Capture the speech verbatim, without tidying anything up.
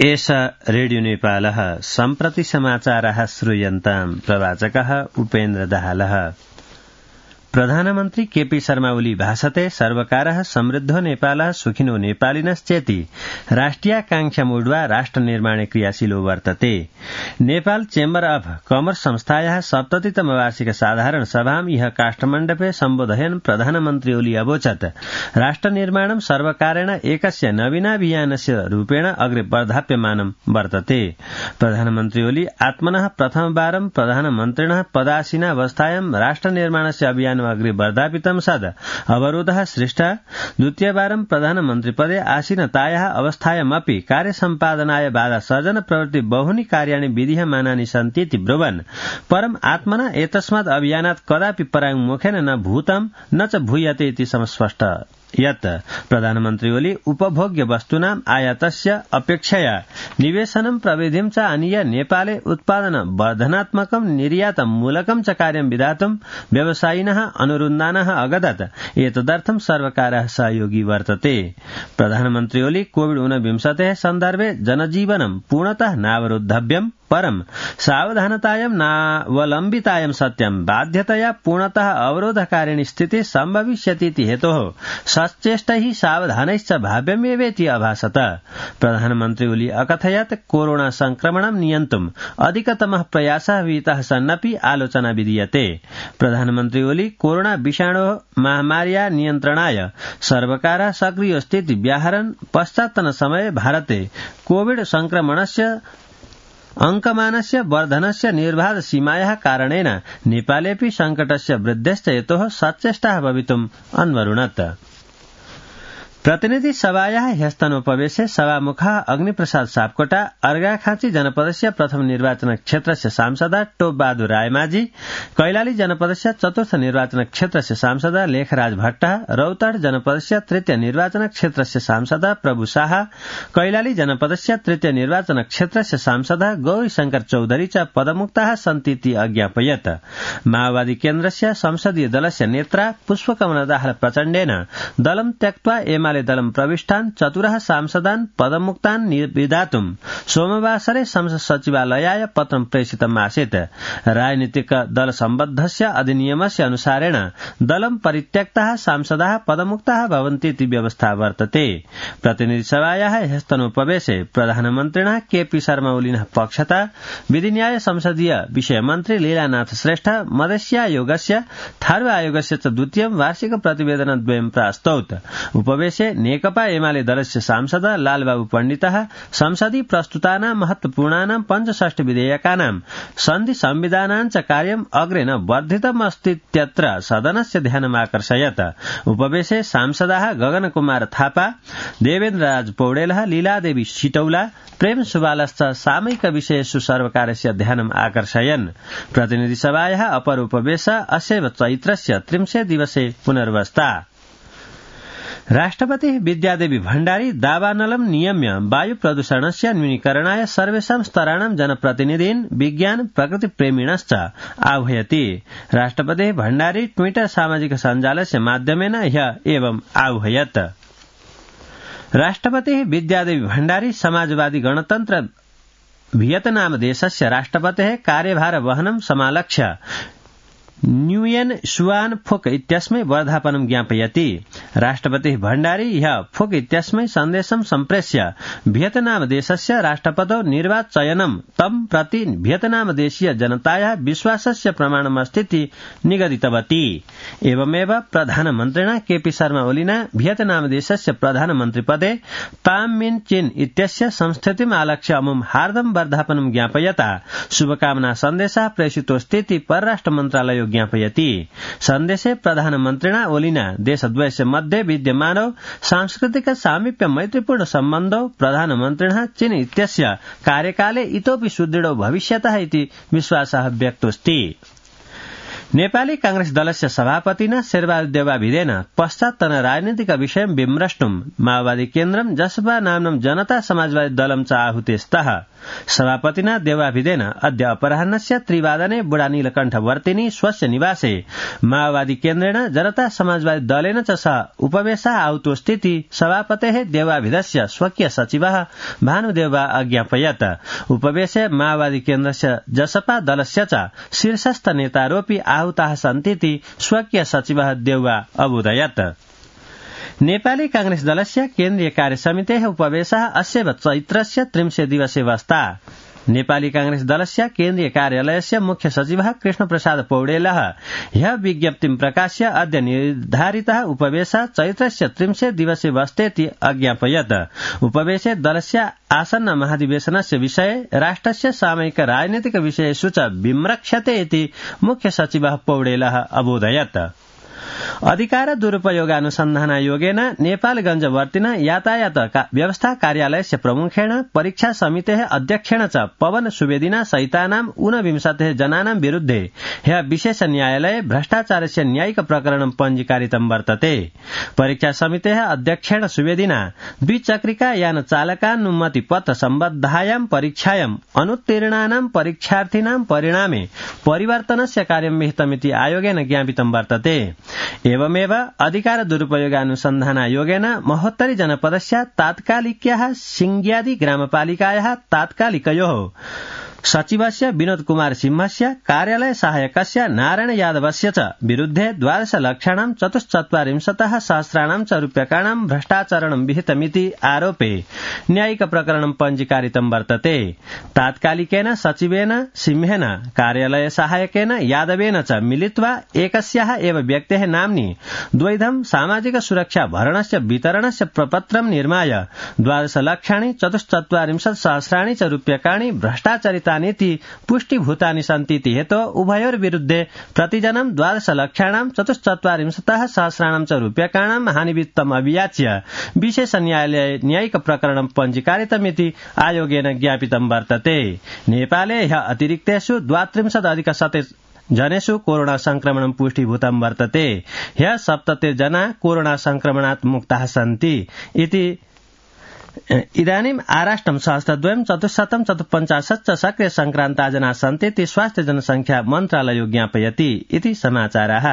एष रेडियो नेपालः सम्प्रति समाचारः श्रूयन्ताम् प्रवाचकः उपेन्द्र दाहालः। प्रधानमन्त्री केपी शर्मा ओली भाषते सर्वकारः समृद्धो नेपालः सुखिनो नेपालिनश्चेति राष्ट्रियाकांक्षामूढ्वा राष्ट्र निर्माणे क्रियाशीलो वर्तते। नेपाल चेम्बर अफ कमर्स संस्थायाः सप्ततितम वार्षिक साधारण सभाम् इह काष्ठमण्डपे सम्बोधयन् प्रधानमन्त्री ओली अवोचत् राष्ट्र निर्माणं सर्वकारेण एकस्य नवीनाभियानस्य रूपेण अग्रे वर्धाप्यमानं वर्तते। प्रधानमन्त्री ओली आत्मनः प्रथमवारं प्रधानमन्त्रिणः पदासीनावस्थायां राष्ट्र निर्माणस्य अभियान अग्रे वर्धापितं सद अवरोधः सृष्टः। द्वितीयवारं प्रधानमन्त्रिपदे आसीनतायाः अवस्थायामपि कार्यसम्पादनाय बाधा सर्जन प्रवृत्ति बहूनि कार्याणि विधीयमानानि सन्तीति ब्रुवन् परम् आत्मना एतस्मात् अभियानात् कदापि पराङ्मुखेन न भूतं न च भूयते इति समस्पष्ट यत् प्रधानमन्त्री ओली उपभोग्य वस्तूनाम् आयातस्य अपेक्षया निवेशनं प्रविधिं च आनीय नेपाले उत्पादन वर्धनात्मकं निर्यातमूलकं च कार्यं विधातुं व्यवसायिनः अनुरुन्धानः अगदत् एतदर्थं सर्वकारः सहयोगी वर्तते। प्रधानमन्त्री ओली कोविड ऊनविंशतेः सन्दर्भे जनजीवनं पूर्णतः नावरोद्धव्यम् परं सावधानतायां नावलम्बितायां सत्यं बाध्यतया पूर्णतः अवरोधकारिणी स्थितिः सम्भविष्यतीति हेतोः सचेष्टैः सावधानैश्च भाव्यमेवेति अभासत। प्रधानमन्त्री ओली अकथयत् कोरोना संक्रमणं नियन्तुम् अधिकतमः प्रयासः विहितः सन्नपि आलोचना विधीयते। प्रधानमन्त्री ओली कोरोना विषाणोः महामार्या नियन्त्रणाय सर्वकारः सक्रियोऽस्तीति व्याहरन् पश्चात्तन समये भारते कोविड संक्रमणस्य अंकमानस्य वर्धनस्य निर्बाध सीमायाः कारणेन नेपालेऽपि संकटस्य वृद्ध्यश्च हेतोः सचेष्टाः भवितुम् अन्वरुणत्। प्रतिनिधि सभायाः ह्यस्तनोपवेशे सभामुखः अग्निप्रसाद सापकोटा अर्घाखाँची जनपदस्य प्रथम निर्वाचन क्षेत्रस्य सांसदा टोप बहादुर रायमाझी कैलाली जनपदस्य चतुर्थ निर्वाचन क्षेत्रस्य सांसदा लेखराज भट्टः रौतहट जनपदस्य तृतीय निर्वाचन क्षेत्रस्य सांसदा प्रभु शाह कैलाली जनपदस्य तृतीय निर्वाचन क्षेत्रस्य सांसदा गौरीशंकर चौधरी च पदमुक्ताः सन्तीति अज्ञापयत्। माओवादी केन्द्रस्य संसदीय दलस्य नेत्रा पुष्पकमल दाहाल प्रचण्डेन दलं त्यक्त्वा एमा दलं प्रविष्टान् चतुरः सांसदान् पदमुक्तान् विधातुं सोमवासरे संसद सचिवालयाय पत्रं प्रेषितम् आसीत्। राजनीतिक दल सम्बद्धस्य अधिनियमस्य अनुसारेण दलं परित्यक्ताः सांसदाः पदमुक्ताः भवन्तीति व्यवस्था वर्तते। प्रतिनिधि सभायाः ह्यस्तनोपवेशे प्रधानमन्त्रिणः केपी शर्मा ओलिनः पक्षतः विधिन्याय संसदीय विषयमन्त्री लीलानाथ श्रेष्ठ मधेस्यायोगस्य थारू आयोगस्य च द्वितीयं वार्षिक प्रतिवेदनद्वयं प्रास्तौत्। उपवेशे नेकपा एमाले दलस्य सांसद लालबाबु पण्डितः संसदि प्रस्तुतानां महत्वपूर्णानां पञ्चषष्टि विधेयकानां सन्धि संविधानां च कार्यम् अग्रे न वर्धितमस्तीत्यत्र सदनस्य ध्यानमाकर्षयत्। उपवेशे सांसदाः गगन कुमार थापा देवेन्द्र राज पौडेलः लीलादेवी सिटौला प्रेम सुबालश्च सामयिक विषयेषु सर्वकारस्य ध्यानम् आकर्षयन्। प्रतिनिधि सभायाः अपर उपवेश अस्यैव चैत्रस्य त्रिंशे दिवसे पुनर्वस्था। राष्ट्रपति विद्यादेवी भण्डारी दावानलं नियम्य वायु प्रदूषणस्य न्यूनीकरणाय सर्वेषां स्तराणां जनप्रतिनिधीन् विज्ञान प्रकृतिप्रेमिणश्च आह्वयति। राष्ट्रपति भण्डारी ट्विटर सामाजिक सञ्जालस्य माध्यमेन ह्यः एवम् आह्वयत्। राष्ट्रपति विद्यादेवी भण्डारी समाजवादी गणतन्त्र वियतनाम देशस्य राष्ट्रपतेः कार्यभार वहनं समालक्ष्य न्यूयेन सुआन फुक इत्यस्मै वर्धापनं ज्ञापयति। राष्ट्रपतिः भण्डारी ह्यः फुक इत्यस्मै सन्देशं सम्प्रेष्य वियतनाम देशस्य राष्ट्रपतौ निर्वाचयनं तं प्रति वियतनाम देशीय जनतायाः विश्वासस्य प्रमाणमस्तीति निगदितवती। एवमेव प्रधानमन्त्रिणा केपी शर्मा ओलिना वियतनाम देशस्य प्रधानमन्त्रिपदे ताम मिन चिन इत्यस्य संस्थितिम् आलक्ष्य अमुम् हार्दं वर्धापनं ज्ञापयता शुभकामना सन्देशः प्रेषितोऽस्तीति परराष्ट्र मन्त्रालयो ज्ञापयति। सन्देशे प्रधानमन्त्रिणा ओलिना देशद्वयस्य मध्ये विद्यमानौ सांस्कृतिक सामीप्य मैत्रीपूर्ण सम्बन्धौ प्रधानमन्त्रिणः चीन इत्यस्य कार्यकाले इतोपि सुदृढौ भविष्यतः इति विश्वासः व्यक्तोऽस्ति। नेपाली कांग्रेस दलस्य सभापतिना शेरबहादुर देउवाभिदेन पश्चात्तन राजनीतिक विषयं विमृष्टुं माओवादी केन्द्रं जसपा नाम्नं जनता समाजवादी दलं च आहुते स्तः। सभापतिना देवाभिधेन अद्य अपराह्नस्य त्रिवादने बुढा नीलकण्ठवर्तिनी स्वस्य निवासे माओवादी केन्द्रेण जनता समाजवादी दलेन च सह उपवेशः आउतोस्थिति सभापतेः देवाभिधस्य स्वकीय सचिवः भानुदेवा अज्ञापयत्। उपवेशे माओवादी केन्द्रस्य जसपा दलस्य च शीर्षस्थ नेतारोऽपि आहूताः सन्तीति स्वकीय सचिवः देउवा अबोधयत्। नेपाली कांग्रेस दलस्य केन्द्रीय कार्यसमितेः उपवेशः अस्यैव चैत्रस्य त्रिंशे दिवसे वस्ता। नेपाली कांग्रेस दलस्य केन्द्रीय कार्यालयस्य मुख्य सचिवः कृष्णप्रसाद पौडेलः ह्यः विज्ञप्तिं प्रकाश्य अद्य निर्धारितः उपवेशः चैत्रस्य त्रिंशे दिवसे वस्तेति अज्ञापयत्। उपवेशे दलस्य आसन्न महाधिवेशनस्य विषये राष्ट्रस्य सामयिक राजनीतिक विषयेषु च विम्रक्ष्यते इति मुख्य सचिवः पौडेलः अबोधयत्। अधिकार दुरुपयोगानुसन्धानायोगेन नेपालगञ्जवर्तिना यातायात व्यवस्था कार्यलयस्य प्रमुखेण परीक्षा समितेः अध्यक्षेण च पवन सुवेदिना सहितानां ऊनविंशतिः जनानां विरुद्धे ह्यः विशेष न्यायालये भ्रष्टाचारस्य न्यायिक प्रकरणं पञ्जीकारितं वर्तते। परीक्षा समितेः अध्यक्षेण सुवेदिना द्विचक्रिका यान चालकानुमति पत्र सम्बद्धायां परीक्षायां अनुत्तीर्णानां परीक्षार्थिनां परिणामे परिवर्तनस्य कार्यं विहितमिति आयोगेन ज्ञापितं वर्तते। एवमेव अधिकार दुरुपयोगानुसन्धानायोगेन महोत्तरी जनपदस्य तात्कालिक्याः सिंग्यादी ग्रामपालिकायाः तात्कालिकयोः सचिवस्य विनोद कुमार सिंहस्य कार्यालय सहायकस्य नारायण यादवस्य च विरुद्धे द्वादश लक्षाणां चतुश्चत्वारिंशतः सहस्राणां च रूप्यकाणां भ्रष्टाचरणं विहितमिति आरोपे न्यायिक प्रकरणं पञ्जीकारितं वर्तते। तात्कालिकेन सचिवेन सिंहेन कार्यालय सहायकेन यादवेन च मिलित्वा एकस्याः एव व्यक्तेः नाम्नि द्वैधं सामाजिक सुरक्षा भरणस्य वितरणस्य प्रपत्रं निर्माय द्वादश लक्षाणि चतुश्चत्वारिंशत् सहस्राणि च रूप्यकाणि भ्रष्टाचरित नीति पुष्टिभूतानि सन्तीति हेतो उभयोर्विरुद्धे प्रतिजनं द्वादश लक्षाणां चतुश्चत्वारिंशतः सहस्राणां च रूप्यकाणां हानिवित्तम् अभियाच्य विशेष न्यायालये न्यायिक प्रकरणं पञ्जीकारितमिति आयोगेन ज्ञापितं वर्तते। नेपाले ह्यः अतिरिक्तेषु द्वात्रिंशदधिक शते जनेषु कोरोना संक्रमणं पुष्टिभूतं वर्तते। ह्यः सप्ततिर्जना कोरोना संक्रमणात् मुक्ताः सन्ति इति। इदानीम् आराष्ट्रं सहस्रद्वयं चतुश्शतं चतुःपञ्चाशत् च सक्रिय संक्रान्ता जना सन्ति इति स्वास्थ्य जनसंख्या मन्त्रालयो ज्ञापयति इति समाचाराः।